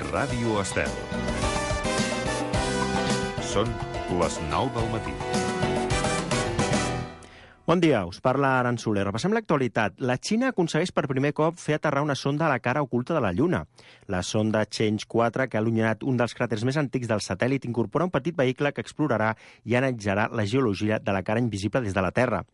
Ràdio Estel. Són les 9 del matí. Bon dia, us parla Aran Soler. Repassem l'actualitat. La Xina aconsegueix per primer cop fer aterrar una sonda a la cara oculta de la Lluna. La sonda Change 4, que ha allunyat un dels cràters més antics del satèl·lit, incorpora un petit vehicle que explorarà i analitzarà la geologia de la cara invisible des de la Terra.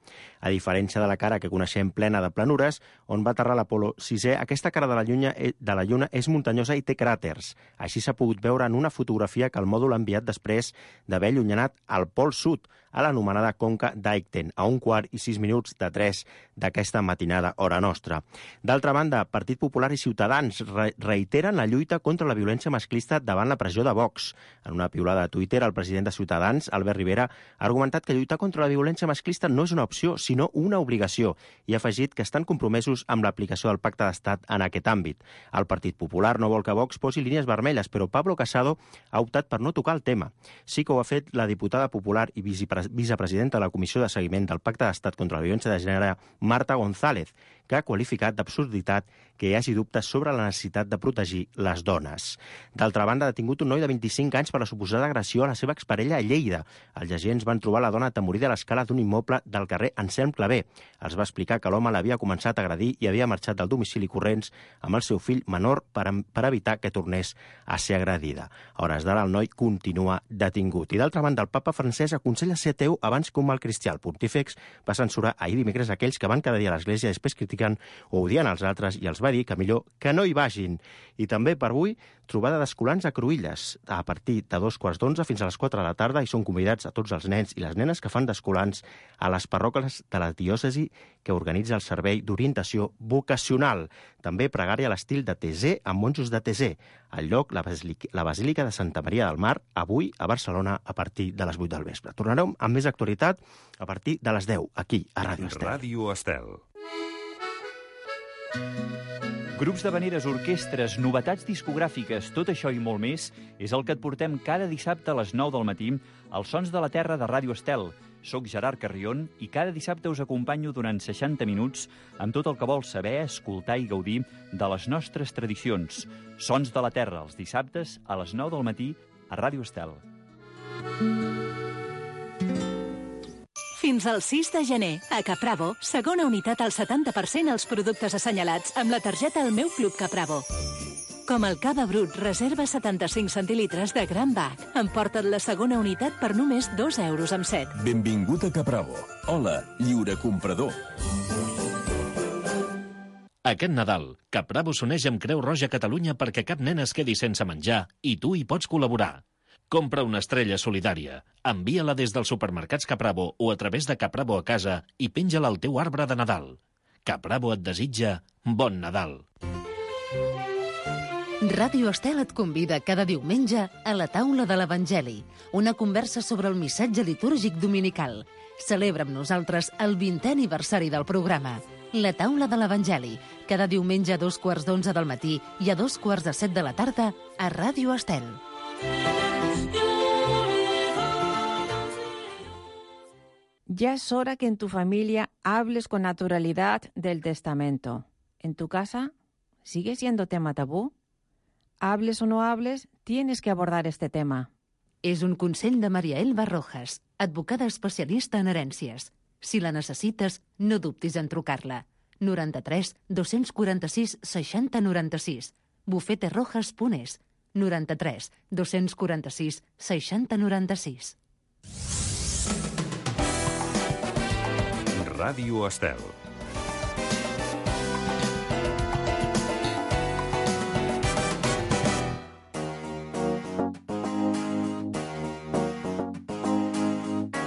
A diferència de la cara que coneixem plena de planures, on va aterrar l'Apolo 6è, aquesta cara de la Lluna és muntanyosa i té cràters. Així s'ha pogut veure en una fotografia que el mòdul ha enviat després d'haver allunyanat al Pol Sud, a l'anomenada conca d'Aigten, a 1:06 de 3 d'aquesta matinada, hora nostra. D'altra banda, Partit Popular i Ciutadans reiteren la lluita contra la violència masclista davant la pressió de Vox. En una piulada a Twitter, el president de Ciutadans, Albert Rivera, ha argumentat que lluitar contra la violència masclista no és una opció, sinó una obligació, i ha afegit que estan compromesos amb l'aplicació del Pacte d'Estat en aquest àmbit. El Partit Popular no vol que Vox posi línies vermelles, però Pablo Casado ha optat per no tocar el tema. Sí que ho ha fet la diputada popular i vicepresidenta de la Comissió de Seguiment del Pacte d'Estat contra la Violència de Gènere, Marta González, que ha qualificat d'absurditat que hi hagi dubtes sobre la necessitat de protegir les dones. D'altra banda, ha detingut un noi de 25 anys per la suposada agressió a la seva exparella a Lleida. Els agents van trobar la dona atemorida a l'escala d'un immoble del carrer Anselm Clavé. Els va explicar que l'home l'havia començat a agredir i havia marxat del domicili corrents amb el seu fill menor per evitar que tornés a ser agredida. A hores d'ara, el noi continua detingut. I d'altra banda, el papa francès aconsella ser ateu abans que un mal cristià. El pontífex va censurar ahir dimecres aquells que van cada dia a l'església i després critiquen o odien els altres i els va dir que millor que no hi vagin. I també per avui, trobada d'escolans a Cruïlles, a partir de 2:15 fins a les 4 de la tarda, i són convidats a tots els nens i les nenes que fan d'escolans a les parròquies de la diòcesi que organitza el servei d'orientació vocacional. També pregària a l'estil de Tesé amb monjos de Tesé. Al lloc, la Basílica de Santa Maria del Mar, avui a Barcelona a partir de les 8 del vespre. Tornarem amb més actualitat a partir de les 10, aquí, a Ràdio Estel. Ràdio Estel. Grups d'havaneres, orquestres, novetats discogràfiques, tot això i molt més és el que et portem cada dissabte a les 9 del matí als Sons de la Terra de Ràdio Estel. Soc Gerard Carrion i cada dissabte us acompanyo durant 60 minuts amb tot el que vols saber, escoltar i gaudir de les nostres tradicions. Sons de la Terra, els dissabtes a les 9 del matí a Ràdio Estel. Fins al 6 de gener, a Capravo, segona unitat al 70% als productes assenyalats amb la targeta El meu Club Capravo. Com el cava brut reserva 75 centilitres de Gran Bac. Emporta't la segona unitat per només 2,07 €. Benvingut a Capravo. Hola, lliure comprador. Aquest Nadal, Capravo s'uneix amb Creu Roja Catalunya perquè cap nen es quedi sense menjar i tu hi pots col·laborar. Compra una estrella solidària, envia-la des dels supermercats Capravo o a través de Capravo a casa i penja-la al teu arbre de Nadal. Capravo et desitja bon Nadal. Ràdio Estel et convida cada diumenge a la taula de l'Evangeli, una conversa sobre el missatge litúrgic dominical. Celebra amb nosaltres el 20è aniversari del programa. La taula de l'Evangeli, cada diumenge a 2:15 del matí i a 2:45 de la tarda a Ràdio Estel. Ya es hora que en tu familia hables con naturalidad del testamento. ¿En tu casa sigue siendo tema tabú? Hables o no hables, tienes que abordar este tema. És un consell de Maria Elba Rojas, advocada especialista en herències. Si la necessites, no dubtis en trucar-la. 93 246 60 96. bufeterojas.es. 93 246 60 96. Ràdio Estel.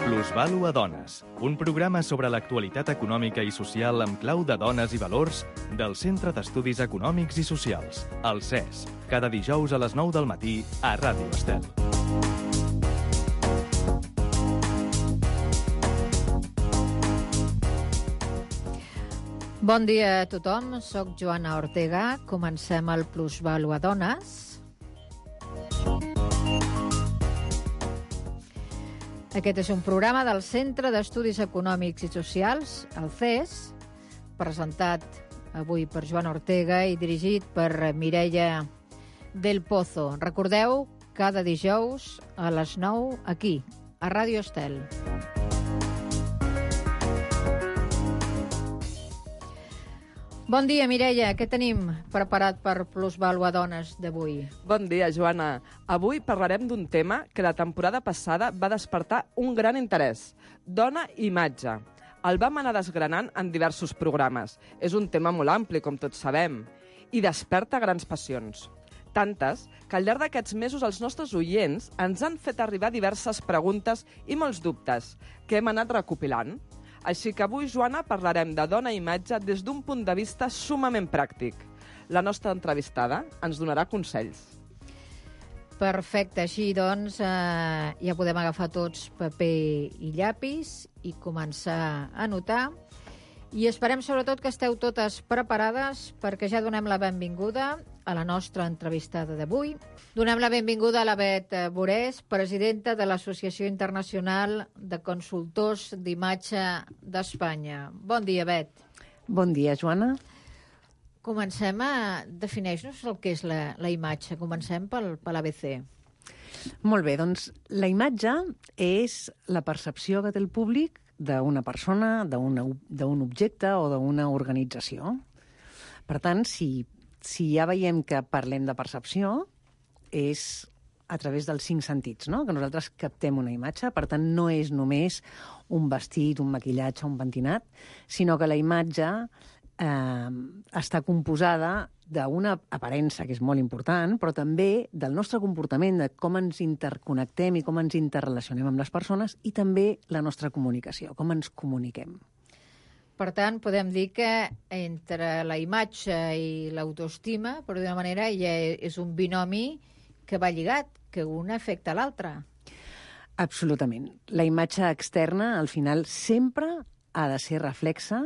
Plusvàlua Dones, un programa sobre l'actualitat econòmica i social amb clau de dones i valors del Centre d'Estudis Econòmics i Socials, el CES, cada dijous a les 9 del matí a Ràdio Estel. Bon dia a tothom, soc Joana Ortega. Comencem el Plusvàlua Dones. Aquest és un programa del Centre d'Estudis Econòmics i Socials, el CES, presentat avui per Joana Ortega i dirigit per Mireia del Pozo. Recordeu, cada dijous a les 9, aquí, a Ràdio Estel. Bon dia, Mireia. Què tenim preparat per Plusvàlua Dones d'avui? Bon dia, Joana. Avui parlarem d'un tema que la temporada passada va despertar un gran interès. Dona i imatge. El vam anar desgranant en diversos programes. És un tema molt ampli, com tots sabem, i desperta grans passions. Tantes que al llarg d'aquests mesos els nostres oients ens han fet arribar diverses preguntes i molts dubtes que hem anat recopilant. Així que avui, Joana, parlarem de dona i imatge des d'un punt de vista sumament pràctic. La nostra entrevistada ens donarà consells. Perfecte, així doncs ja podem agafar tots paper i llapis i començar a anotar. I esperem sobretot que esteu totes preparades perquè ja donem la benvinguda a la nostra entrevistada d'avui. Donem la benvinguda a la Bet Borés, presidenta de l'Associació Internacional de Consultors d'Imatge d'Espanya. Bon dia, Bet. Bon dia, Joana. Comencem a definir-nos el que és la imatge. Comencem per l'ABC. Molt bé, doncs la imatge és la percepció que té el públic d'una persona, d'un objecte o d'una organització. Per tant, si ja veiem que parlem de percepció, és a través dels 5 sentits, no? Que nosaltres captem una imatge. Per tant, no és només un vestit, un maquillatge, un pentinat, sinó que la imatge està composada d'una aparença, que és molt important, però també del nostre comportament, de com ens interconnectem i com ens interrelacionem amb les persones, i també la nostra comunicació, com ens comuniquem. Per tant, podem dir que entre la imatge i l'autoestima, per d'una manera, ja és un binomi que va lligat, que un afecta l'altre. Absolutament. La imatge externa, al final, sempre ha de ser reflexa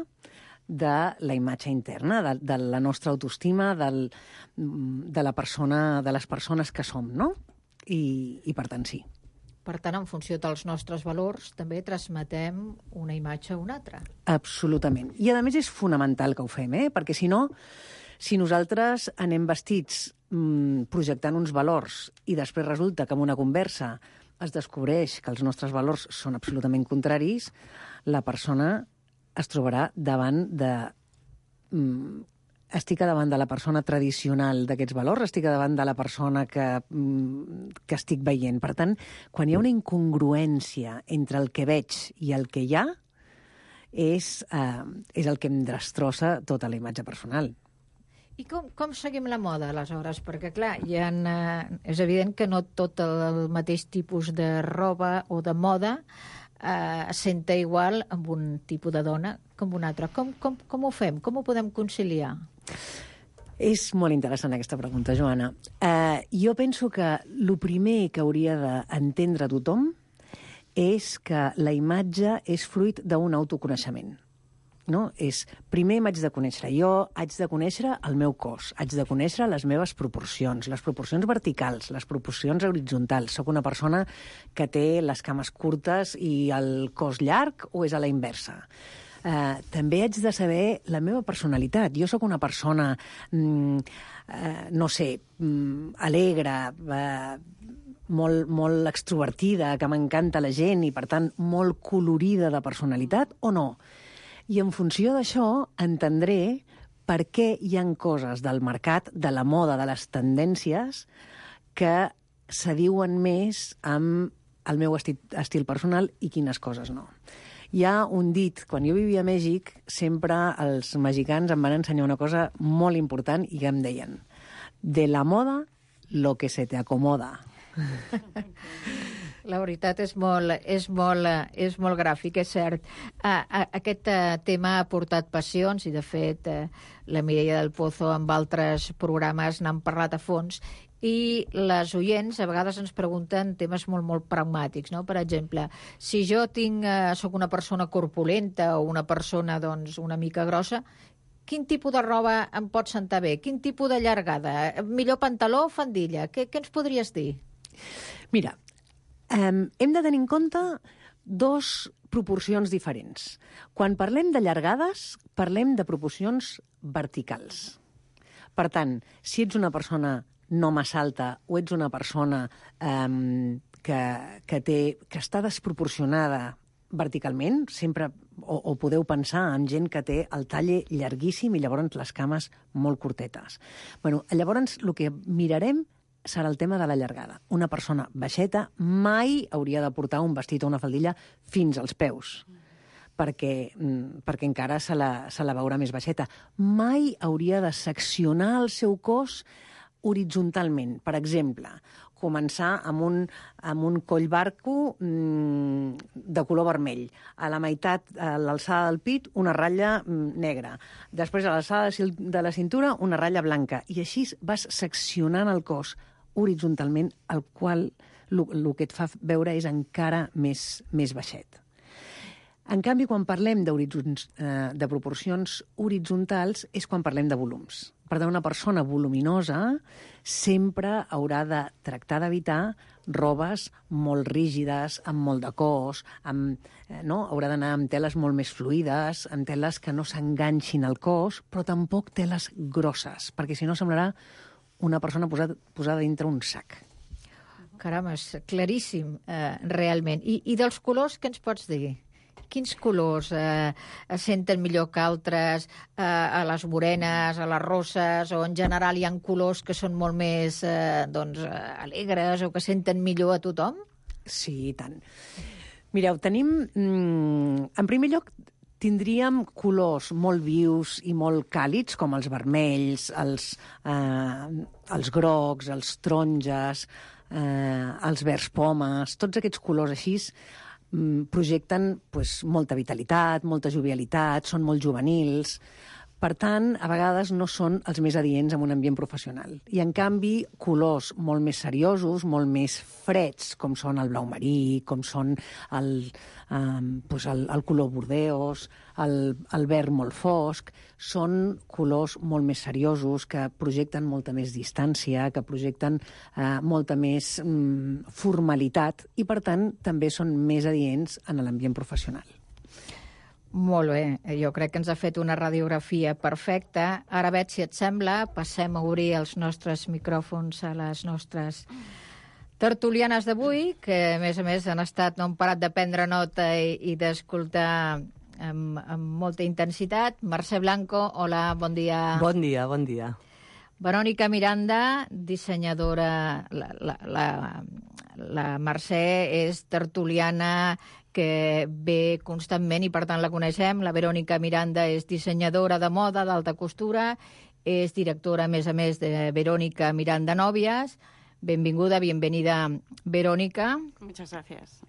de la imatge interna, de la nostra autoestima, de les persones que som, no? I per tant, sí. Per tant, en funció dels nostres valors, també transmetem una imatge a una altra. Absolutament. I, a més, és fonamental que ho fem, perquè si no, si nosaltres anem vestits projectant uns valors i després resulta que en una conversa es descobreix que els nostres valors són absolutament contraris, la persona es trobarà davant de... Estic davant de la persona tradicional d'aquests valors, estic davant de la persona que estic veient. Per tant, quan hi ha una incongruència entre el que veig i el que hi ha, és el que em destrossa tota la imatge personal. I com seguim la moda, aleshores? Perquè, clar, és evident que no tot el mateix tipus de roba o de moda senta igual amb un tipus de dona com un altre. Com ho fem? Com ho podem conciliar? És molt interessant aquesta pregunta, Joana. Jo penso que el primer que hauria d'entendre tothom és que la imatge és fruit d'un autoconeixement. No? Primer m'haig de conèixer. Jo haig de conèixer el meu cos, haig de conèixer les meves proporcions, les proporcions verticals, les proporcions horitzontals. Soc una persona que té les cames curtes i el cos llarg o és a la inversa? També haig de saber la meva personalitat. Jo sóc una persona, alegre, molt extrovertida, que m'encanta la gent i, per tant, molt colorida de personalitat o no? I en funció d'això entendré per què hi ha coses del mercat, de la moda, de les tendències, que s'adiuen més amb el meu estil personal i quines coses no. Hi ha un dit, quan jo vivia a Mèxic, sempre els mexicans em van ensenyar una cosa molt important i que em deien: de la moda, lo que se te acomoda. La veritat és molt gràfic, és cert. Aquest tema ha portat passions i, de fet, la Mireia del Pozo amb altres programes n'han parlat a fons, i les oients a vegades ens pregunten temes molt pragmàtics, no? Per exemple, si jo sóc una persona corpulenta o una persona una mica grossa, quin tipus de roba em pot sentar bé? Quin tipus de llargada? Millor pantaló o faldilla? Què ens podries dir? Mira, hem de tenir en compte 2 proporcions diferents. Quan parlem de llargades, parlem de proporcions verticals. Per tant, si ets una persona no massa alta o ets una persona que està desproporcionada verticalment, sempre o podeu pensar en gent que té el talle llarguíssim i llavors les cames molt curtetes. Llavors el que mirarem serà el tema de la llargada. Una persona baixeta mai hauria de portar un vestit o una faldilla fins als peus, perquè encara se la veurà més baixeta. Mai hauria de seccionar el seu cos horitzontalment. Per exemple, començar amb un coll barco de color vermell. A la meitat, a l'alçada del pit, una ratlla negra. Després, a l'alçada de la cintura, una ratlla blanca. I així vas seccionant el cos horitzontalment, el qual el que et fa veure és encara més baixet. En canvi, quan parlem de proporcions horitzontals és quan parlem de volums. Per tant, una persona voluminosa sempre haurà de tractar d'evitar robes molt rígides, amb molt de cos, haurà d'anar amb teles molt més fluides, amb teles que no s'enganxin al cos, però tampoc teles grosses, perquè si no semblarà una persona posada dintre un sac. Caram, és claríssim, realment. I dels colors, què ens pots dir? Quins colors es senten millor que altres a les morenes, a les rosses, o en general hi ha colors que són molt més alegres o que senten millor a tothom? Sí, i tant. Mireu, tenim... En primer lloc, tindríem colors molt vius i molt càlids, com els vermells, els grocs, els taronges, els verds pomes, tots aquests colors així projecten molta vitalitat, molta jovialitat, són molt juvenils. Per tant, a vegades no són els més adients en un ambient professional. I, en canvi, colors molt més seriosos, molt més freds, com són el blau marí, com són el color bordeus, el verd molt fosc, són colors molt més seriosos, que projecten molta més distància, que projecten molta més formalitat i, per tant, també són més adients en l'ambient professional. Molt bé, jo crec que ens ha fet una radiografia perfecta. Ara, Bet, si et sembla, passem a obrir els nostres micròfons a les nostres tertulianes d'avui, que a més han estat, no han parat de prendre nota i d'escoltar amb molta intensitat. Mercè Blanco, hola, bon dia. Bon dia, bon dia. Verònica Miranda, dissenyadora. La Mercè és tertuliana que ve constantment i, per tant, la coneixem. La Verònica Miranda és dissenyadora de moda d'alta costura, és directora, a més, de Verònica Miranda Novias. Benvinguda, bienvenida, Verònica. Muchas gracias.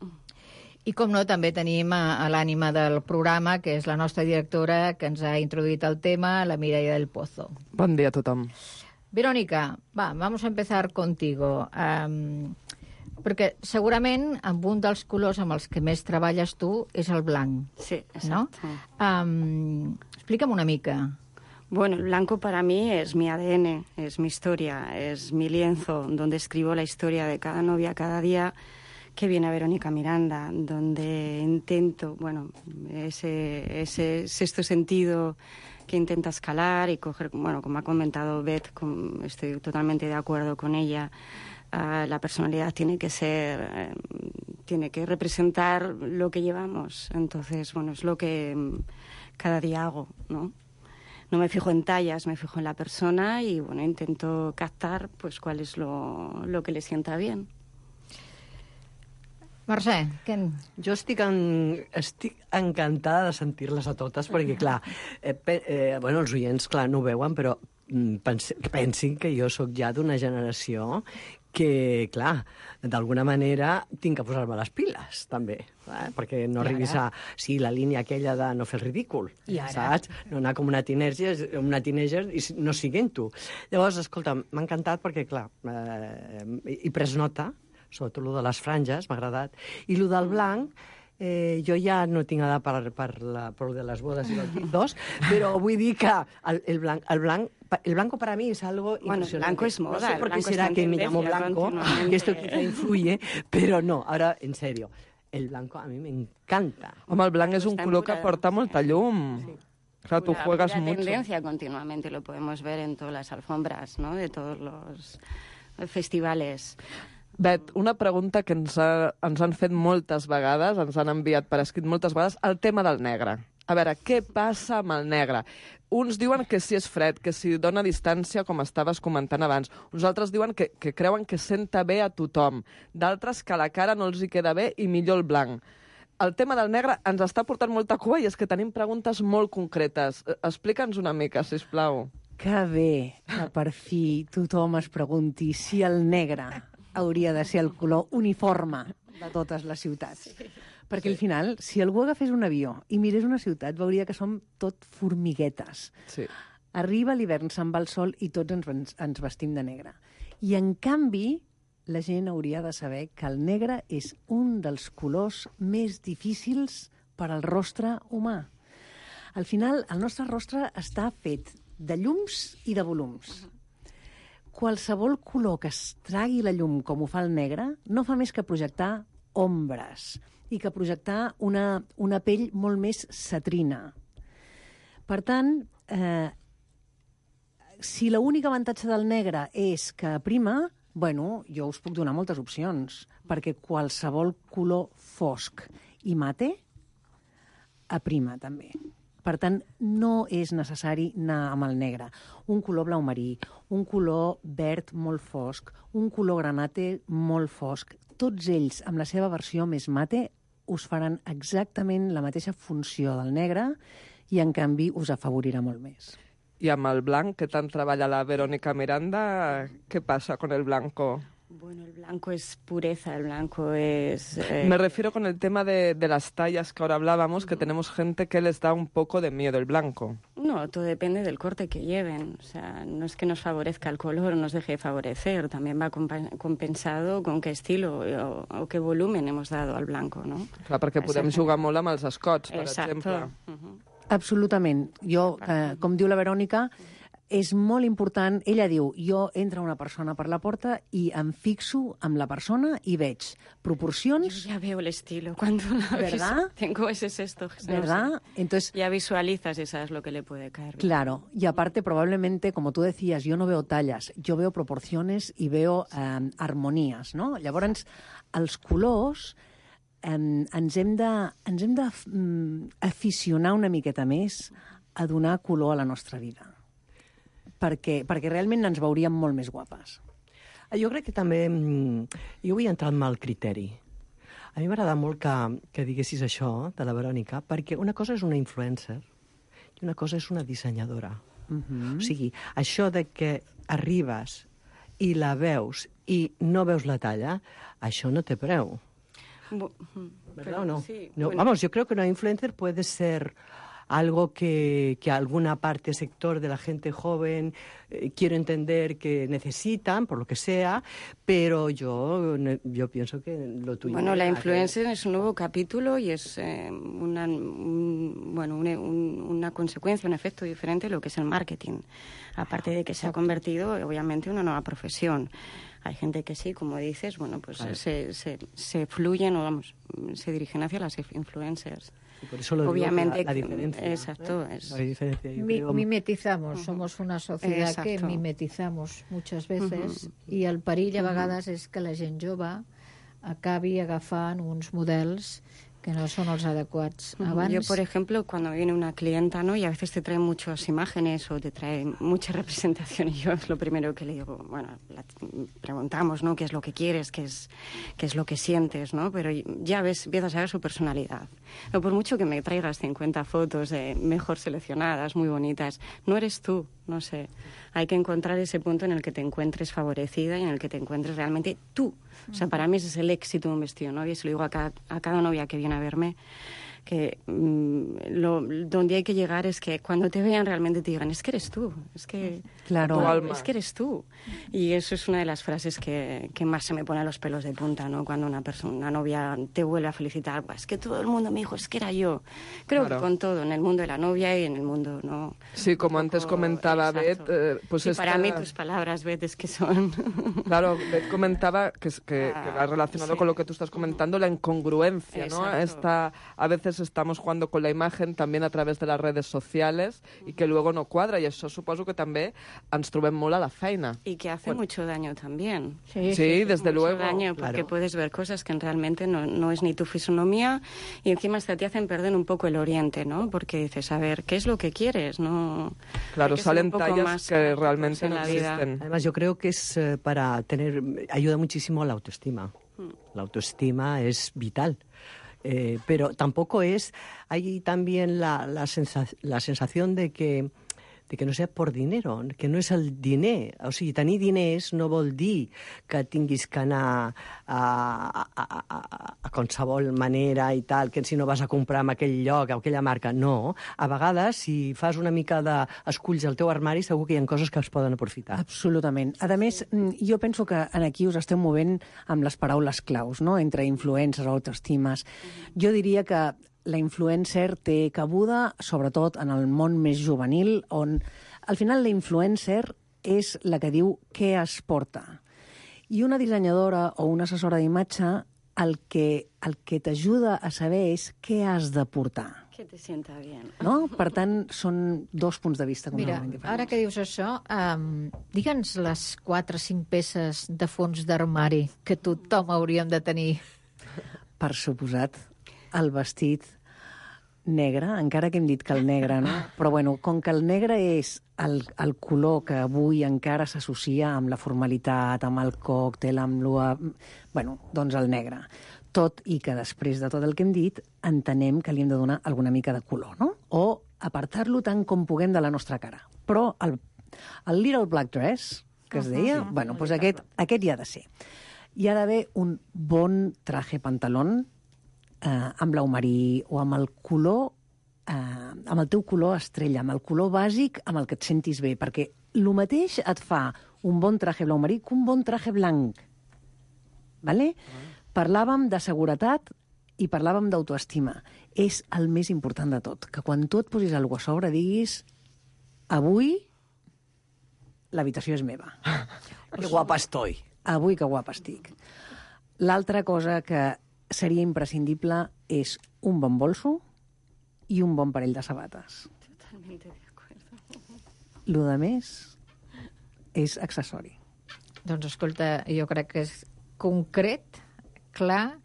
I, com no, també tenim a l'ànima del programa, que és la nostra directora, que ens ha introduït el tema, la Mireia del Pozo. Bon dia a tothom. Verónica, vamos a empezar contigo. Perquè segurament amb un dels colors amb els que més treballes tu és el blanc. Sí, exacto. ¿No? Explica'm una mica. Bueno, el blanco para mí es mi ADN, es mi historia, es mi lienzo donde escribo la historia de cada novia cada día que viene a Verónica Miranda, donde intento, ese sexto sentido que intenta escalar y coger, como ha comentado Beth, estoy totalmente de acuerdo con ella. La personalidad tiene que representar lo que llevamos. Entonces, es lo que cada día hago, ¿no? No me fijo en tallas, me fijo en la persona y, intento captar, cuál es lo que le sienta bien. Mercè, què? Jo estic encantada de sentir-les a totes, perquè, clar, els oients, clar, no ho veuen, però pensin que jo sóc ja d'una generació que, clar, d'alguna manera tinc que posar-me les piles, també, perquè no arribis a la línia aquella de no fer el ridícul, saps? No anar com una teenager i no siguent tu. Llavors, escolta, m'ha encantat perquè, clar, he pres nota, sobretot el de les franges, m'ha agradat, i el del blanc, jo ja no tinc edat per de les bodes i dels 2, però vull dir que el blanco para mí es algo impresionante. El blanco es moda. No sé por qué será que me llamo blanco, que esto quizá influye, pero no, ahora, en serio, el blanco a mi m'encanta. Home, el blanc és un color que porta molta llum. Sí. Claro, tú juegas mucho. Tendencia continuamente, lo podemos ver en todas las alfombras, ¿no? De todos los festivales. Bet, una pregunta que ens han fet moltes vegades, ens han enviat per escrit moltes vegades, el tema del negre. A veure, què passa amb el negre? Uns diuen que si és fred, que si dona distància, com estaves comentant abans. Uns altres diuen que creuen que senta bé a tothom. D'altres que a la cara no els hi queda bé i millor el blanc. El tema del negre ens està portant molta cua i és que tenim preguntes molt concretes. Explica'ns una mica, sisplau. Que bé que per fi tothom es pregunti si el negre hauria de ser el color uniforme de totes les ciutats. Sí. Perquè al final, si algú agafés un avió i mirés una ciutat, veuria que som tot formiguetes. Sí. Arriba l'hivern, se'n va el sol i tots ens vestim de negre. I en canvi, la gent hauria de saber que el negre és un dels colors més difícils per al rostre humà. Al final, el nostre rostre està fet de llums i de volums. Qualsevol color que es tragui la llum com ho fa el negre no fa més que projectar ombres i que projectar una pell molt més cetrina. Per tant, si l'únic avantatge del negre és que aprima, bueno, jo us puc donar moltes opcions, perquè qualsevol color fosc i mate aprima també. Per tant, no és necessari anar amb el negre. Un color blau marí, un color verd molt fosc, un color granate molt fosc, tots ells, amb la seva versió més mate, us faran exactament la mateixa funció del negre i, en canvi, us afavorirà molt més. I amb el blanc, que tant treballa la Verónica Miranda, què passa con el blanco? Bueno, el blanco es pureza, el blanco es... Me refiero con el tema de las tallas que ahora hablábamos, que tenemos gente que les da un poco de miedo el blanco. No, todo depende del corte que lleven. O sea, no es que nos favorezca el color o nos deje de favorecer, también va compensado con qué estilo o qué volumen hemos dado al blanco, no? Clar, perquè podem jugar molt amb els escots, per exemple. Absolutament. Jo, com diu la Verònica, és molt important, ella diu, jo entra una persona per la porta y em fixo amb la persona y veig proporcions... Yo ya veo el estilo cuando la ¿verdad? Tengo ese sexto. ¿Verdad? No sé. Entonces, ya visualizas y sabes lo que le puede caer. Claro, y aparte probablemente, como tú decías, yo no veo tallas, yo veo proporciones y veo armonías, no? Llavors, els colors ens hem d'aficionar una miqueta més a donar color a la nostra vida. Perquè realment ens veuríem molt més guapes. Jo crec que també... Jo vull entrar en el criteri. A mi m'agrada molt que diguessis això, de la Verònica, perquè una cosa és una influencer i una cosa és una dissenyadora. O sigui, això de que arribes i la veus i no veus la talla, això no té preu. ¿Verdad o no? Sí, no bueno. Vamos, yo creo que una influencer puede ser algo que alguna parte, sector de la gente joven, quiero entender que necesitan, por lo que sea, pero yo pienso que lo tuyo... Bueno, la influencer es un nuevo capítulo y es una consecuencia, un efecto diferente de lo que es el marketing. Aparte de que se ha convertido, obviamente, en una nueva profesión. Hay gente que sí, como dices, bueno, pues se fluyen o vamos, se dirigen hacia las influencers. Y por eso lo obviamente digo, la diferencia. Exacto. ¿Eh? La diferencia, mimetizamos, somos una societat que mimetizamos muchas veces i el perill a vegades és que la gent jove acabi agafant uns models que no son los adecuados. Yo, por ejemplo, cuando viene una clienta, ¿no? Y a veces te trae muchas imágenes o te trae mucha representación y yo es lo primero que le digo, bueno, preguntamos, ¿no? ¿Qué es lo que quieres? ¿Qué es lo que sientes? ¿No? Pero ya ves, empiezas a ver su personalidad. No, por mucho que me traigas 50 fotos mejor seleccionadas, muy bonitas, no eres tú, no sé. Hay que encontrar ese punto en el que te encuentres favorecida y en el que te encuentres realmente tú. O sea, para mí ese es el éxito de un vestido de novia. Y se lo digo a cada novia que viene a verme, que donde hay que llegar es que cuando te vean realmente te digan, es que eres tú, es que, es que eres tú. Y eso es una de las frases que más se me pone a los pelos de punta, ¿no? Cuando una novia te vuelve a felicitar, pues que todo el mundo me dijo, es que era yo. Creo que con todo, en el mundo de la novia y en el mundo, ¿no? Sí, como antes comentaba Beth, pues sí, para mí tus palabras, Beth, es que son... Claro, Beth comentaba que va relacionado con lo que tú estás comentando, la incongruencia, ¿no? A veces veces estamos jugando con la imagen también a través de las redes sociales y que luego no cuadra, y això suposo que també ens trobem molt a la feina. Y que hace mucho daño también. Sí, desde luego. Daño, porque puedes ver cosas que realmente no es ni tu fisonomía, y encima hasta te hacen perder un poco el oriente, ¿no? Porque dices, a ver, ¿qué es lo que quieres? No. Claro, salen tallas que realmente no existen. Además, yo creo que es ayuda muchísimo a la autoestima. La autoestima es vital. Pero tampoco hay también la sensación de que no sea por dinero, que no és el diner. O sigui, tenir diners no vol dir que tinguis que anar a qualsevol manera i tal, que si no vas a comprar en aquell lloc, a aquella marca. No. A vegades, si fas una mica d'esculls al teu armari, segur que hi ha coses que es poden aprofitar. Absolutament. A més, jo penso que aquí us esteu movent amb les paraules claus, no? Entre influencers, autoestimes. Jo diria que la influencer té cabuda, sobretot en el món més juvenil, on al final la influencer és la que diu què es porta. I una dissenyadora o una assessora d'imatge el que t'ajuda a saber és què has de portar. Que te sienta bien. No? Per tant, són dos punts de vista completament diferents. Ara que dius això, digue'ns les 4 o 5 peces de fons d'armari que tothom hauríem de tenir. Per suposat, el vestit negre, encara que hem dit que el negre, no? Però bueno, com que el negre és el color que avui encara s'associa amb la formalitat, amb el còctel, amb bueno, doncs el negre. Tot i que després de tot el que hem dit, entenem que li hem de donar alguna mica de color, no? O apartar-lo tant com puguem de la nostra cara. Però el little black dress, que es deia, bueno, doncs aquest hi ha de ser. Hi ha d'haver un bon traje pantalón, amb blau marí o amb el color, amb el teu color estrella, amb el color bàsic amb el que et sentis bé, perquè el mateix et fa un bon traje blau marí que un bon traje blanc. Vale? Parlàvem de seguretat i parlàvem d'autoestima. És el més important de tot, que quan tu et posis alguna cosa a sobre diguis avui l'habitació és meva. Que guapa estoy. Avui que guapa estic. L'altra cosa que seria imprescindible és un bon bolso i un bon parell de sabates. Totalmente de acuerdo. Lo de més és accessori. Doncs escolta, jo crec que és concret, clar,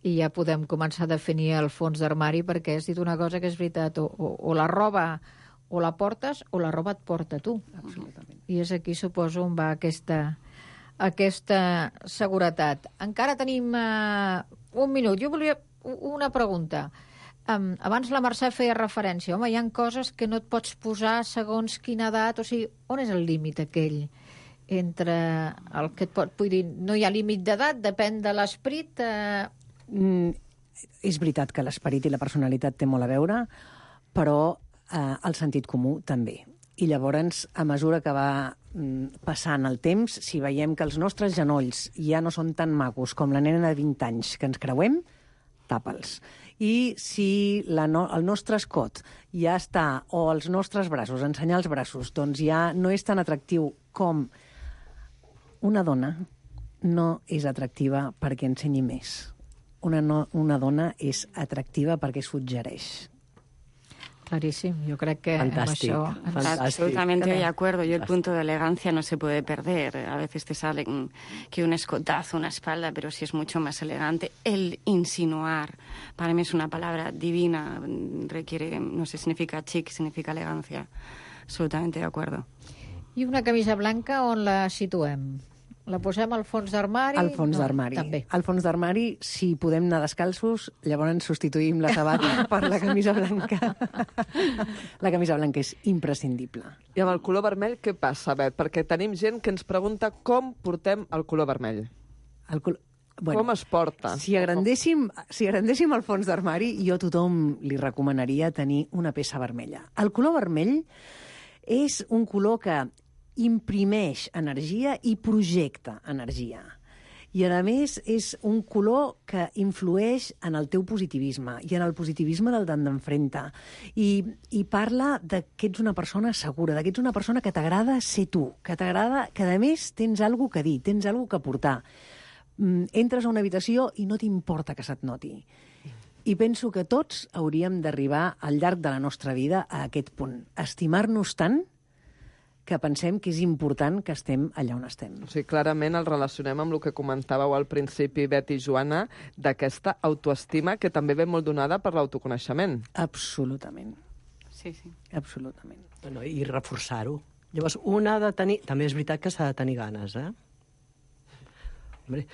i ja podem començar a definir el fons d'armari, perquè has dit una cosa que és veritat, o la roba o la portes o la roba et porta tu. Absolutament. I és aquí, suposo, on va aquesta seguretat. Encara tenim un minut. Jo volia una pregunta. Abans la Mercè feia referència. Home, hi ha coses que no et pots posar segons quina edat. O sigui, on és el límit aquell entre el que et pot... Vull dir, no hi ha límit d'edat, depèn de l'esperit. És veritat que l'esperit i la personalitat té molt a veure, però el sentit comú també. I llavors, a mesura que va passant el temps, si veiem que els nostres genolls ja no són tan macos com la nena de 20 anys que ens creuem, tapa'ls. I si el nostre escot ja està, o els nostres braços, ensenyar els braços, doncs ja no és tan atractiu com una dona no és atractiva perquè ensenyi més. Una dona és atractiva perquè suggereix. Clarísimo, yo creo que fantástico. Absolutamente de acuerdo. Yo el punto de elegancia no se puede perder. A veces te sale que un escotazo, una espalda, pero sí es mucho más elegante. El insinuar, para mí es una palabra divina, requiere, no sé, significa chic, significa elegancia. Absolutamente de acuerdo. I una camisa blanca on la situem? La posem al fons d'armari? Al fons d'armari. També. Al fons d'armari, si podem anar descalços, llavors substituïm la sabata per la camisa blanca. La camisa blanca és imprescindible. I amb el color vermell què passa, Bet? Perquè tenim gent que ens pregunta com portem el color vermell. Bueno, com es porta? Si agrandéssim el fons d'armari, jo a tothom li recomanaria tenir una peça vermella. El color vermell és un color que imprimeix energia i projecta energia. I, a més, és un color que influeix en el teu positivisme i en el positivisme del d'enfrente. I parla que ets una persona segura, que ets una persona que t'agrada ser tu, que t'agrada, que, a més, tens alguna cosa a dir, tens alguna cosa a portar. Entres a una habitació i no t'importa que se't noti. I penso que tots hauríem d'arribar al llarg de la nostra vida a aquest punt. Estimar-nos tant que pensem que és important que estem allà on estem. O sigui, clarament el relacionem amb el que comentàveu al principi, Bet i Joana, d'aquesta autoestima que també ve molt donada per l'autoconeixement. Absolutament. Sí, sí. Absolutament. Bueno, i reforçar-ho. Llavors, un ha de tenir... També és veritat que s'ha de tenir ganes,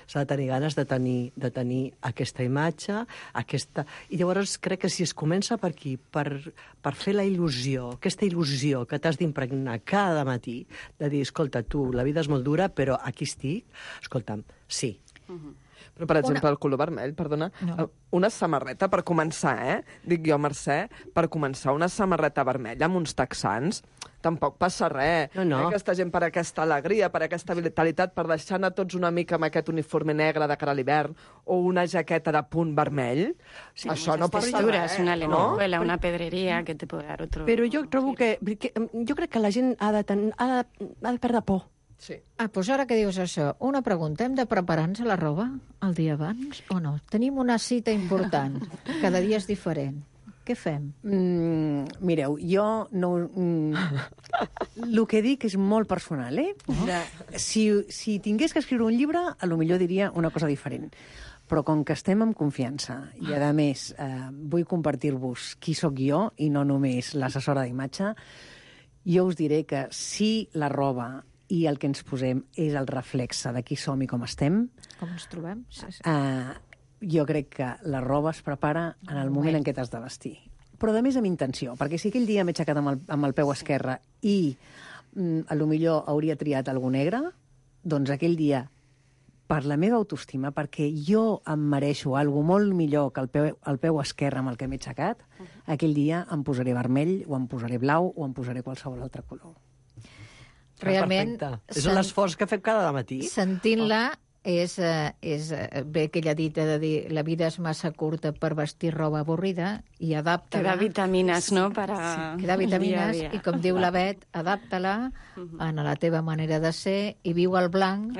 S'ha de tenir ganes de tenir aquesta imatge, aquesta... I llavors crec que si es comença per aquí, per fer la il·lusió, aquesta il·lusió que t'has d'impregnar cada matí, de dir, escolta, tu, la vida és molt dura, però aquí estic, escolta'm, sí. Però, per exemple, el color vermell, perdona, una samarreta, per començar, dic jo, Mercè, per començar, una samarreta vermella amb uns texans, tampoc passa res. Aquesta gent per aquesta alegria, per aquesta vitalitat, per deixar anar tots una mica amb aquest uniforme negre de cara a l'hivern, o una jaqueta de punt vermell, això no passa res. Una lentejuela, una pedrería que te puede dar otro... Però jo trobo que... Jo crec que la gent ha de perdre por. Sí. Doncs ara que dius això, una pregunta, hem de preparar-nos la roba el dia abans o no? Tenim una cita important, cada dia és diferent. Què fem? Mireu, jo no... El que dic és molt personal, Si tingués que escriure un llibre, a lo millor diria una cosa diferent. Però com que estem en confiança i, a més, vull compartir-vos qui sóc jo i no només l'assessora d'imatge, jo us diré que si la roba i el que ens posem és el reflexe de qui som i com estem... Com ens trobem? Sí. Jo crec que la roba es prepara en el moment en què t'has de vestir. Però, a més, amb intenció, perquè si aquell dia m'he aixecat amb el peu esquerre i a lo millor hauria triat algú negre, doncs aquell dia, per la meva autoestima, perquè jo em mereixo alguna molt millor que el peu esquerre amb el que m'he aixecat, aquell dia em posaré vermell, o em posaré blau, o em posaré qualsevol altre color. Realment... És l'esforç que fem cada matí. Sentint-la és bé aquella dita de dir la vida és massa curta per vestir roba avorrida i adapta-la. Que da vitaminas, no? Que da vitaminas i, com diu la Bet, adapta-la a la teva manera de ser i viu al blanc,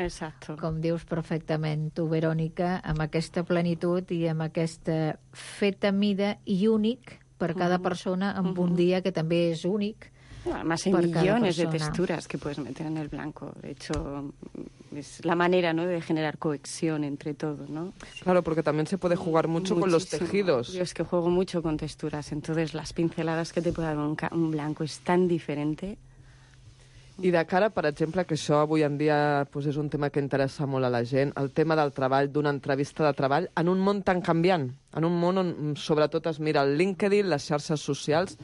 com dius perfectament tu, Verònica, amb aquesta plenitud i amb aquesta feta mida i únic per cada persona amb un dia que també és únic. Además hay millones de texturas que puedes meter en el blanco. De hecho, es la manera, ¿no?, de generar cohesión entre todo, ¿no? Claro, porque también se puede jugar mucho con los tejidos. Yo es que juego mucho con texturas, entonces las pinceladas que te puede dar un blanco es tan diferente. I de cara, per exemple, que això avui en dia és un tema que interessa molt a la gent, el tema del treball, d'una entrevista de treball, en un món tan canviant, en un món on sobretot es mira el LinkedIn, les xarxes socials,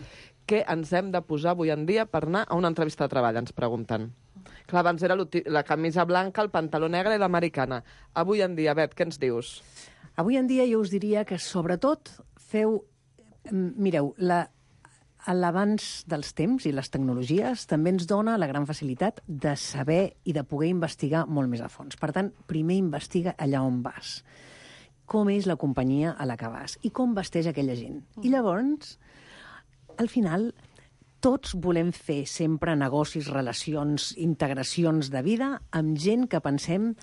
què ens hem de posar avui en dia per anar a una entrevista de treball, ens pregunten. Clar, abans era la camisa blanca, el pantaló negre i l'americana. Avui en dia, Bet, què ens dius? Avui en dia jo us diria que, sobretot, mireu, l'avanç dels temps i les tecnologies també ens dona la gran facilitat de saber i de poder investigar molt més a fons. Per tant, primer investiga allà on vas. Com és la companyia a la que vas i com vesteix aquella gent. I llavors, al final, tots volem fer sempre negocis, relacions, integracions de vida amb gent que pensem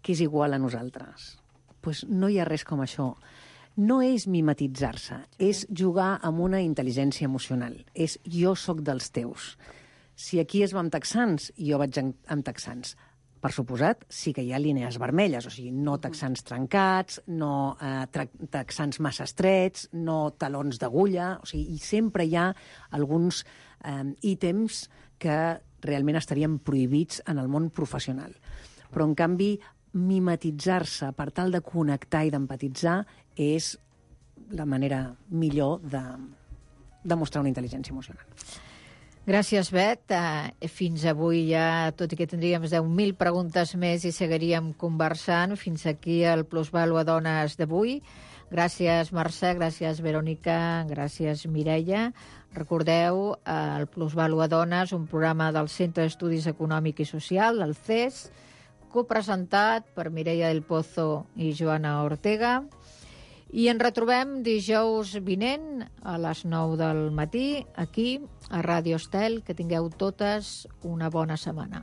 que és igual a nosaltres. Doncs no hi ha res com això. No és mimetitzar-se, és jugar amb una intel·ligència emocional. És jo sóc dels teus. Si aquí es va amb texans, jo vaig amb texans. Per suposat, sí que hi ha línies vermelles, o sigui, no texans trencats, no texans massa estrets, no talons d'agulla, o sigui, i sempre hi ha alguns ítems que realment estarien prohibits en el món professional. Però, en canvi, mimetitzar-se per tal de connectar i d'empatitzar és la manera millor de mostrar una intel·ligència emocional. Gràcies, Bet. Fins avui ja, tot i que tindríem 10.000 preguntes més i seguiríem conversant, fins aquí el Plusvàlua Dones d'avui. Gràcies, Mercè, gràcies, Verònica, gràcies, Mireia. Recordeu, el Plusvàlua Dones, un programa del Centre d'Estudis Econòmic i Social, el CES, copresentat per Mireia del Pozo i Joana Ortega. I ens retrobem dijous vinent a les 9 del matí, aquí, a Ràdio Estel. Que tingueu totes una bona setmana.